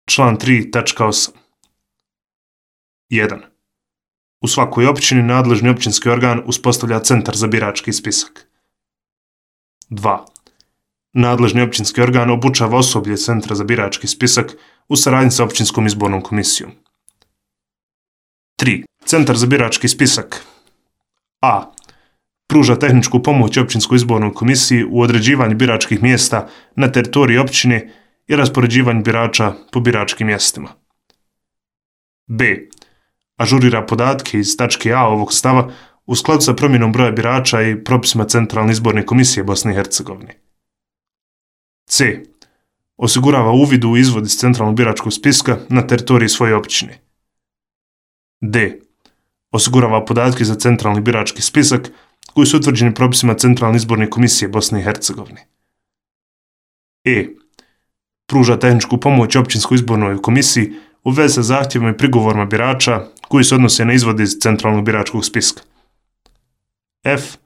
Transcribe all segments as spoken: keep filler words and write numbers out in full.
Član tri tačka osam. jedan. U svakoj općini nadležni općinski organ uspostavlja centar za birački spisak. dva. Nadležni općinski organ obučava osoblje centra za birački spisak u saradnji sa općinskom izbornom komisijom. tri. Centar za birački spisak a. Pruža tehničku pomoć općinskoj izbornoj komisiji u određivanju biračkih mjesta na teritoriji općine i raspoređivanju birača po biračkim mjestima. b. Ažurira podatke iz tačke A ovog stava u skladu sa promjenom broja birača i propisima Centralne izborne komisije Bosne i Hercegovine. c. Osigurava uvid u izvod iz centralnog biračkog spiska na teritoriji svoje općine. d. Osigurava podatke za centralni birački spisak koji su utvrđeni propisima Centralne izborne komisije Bosne i Hercegovine. e. Pruža tehničku pomoć općinskoj izbornoj komisiji u vezi sa zahtjevima i prigovorima birača koji se odnose na izvod iz centralnog biračkog spiska. f.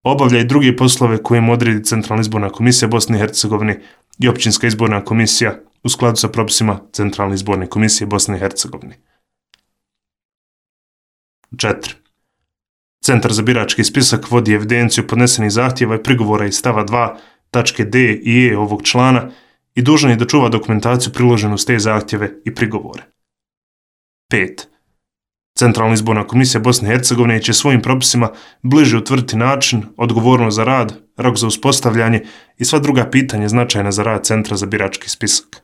Obavlja i druge poslove koje mu odredi Centralna izborna komisija Bosne i Hercegovine i općinska izborna komisija u skladu sa propisima Centralne izborne komisije Bosne i Hercegovine. četiri. Centar za birački spisak vodi evidenciju podnesenih zahtjeva i prigovora iz stava dva tačke D i E ovog člana i dužan je da čuva dokumentaciju priloženu s te zahtjeve i prigovore. pet. Centralna izborna komisija Bosne i Hercegovine će svojim propisima bliže utvrditi način, odgovornost za rad, rok za uspostavljanje i sva druga pitanja značajna za rad Centra za birački spisak.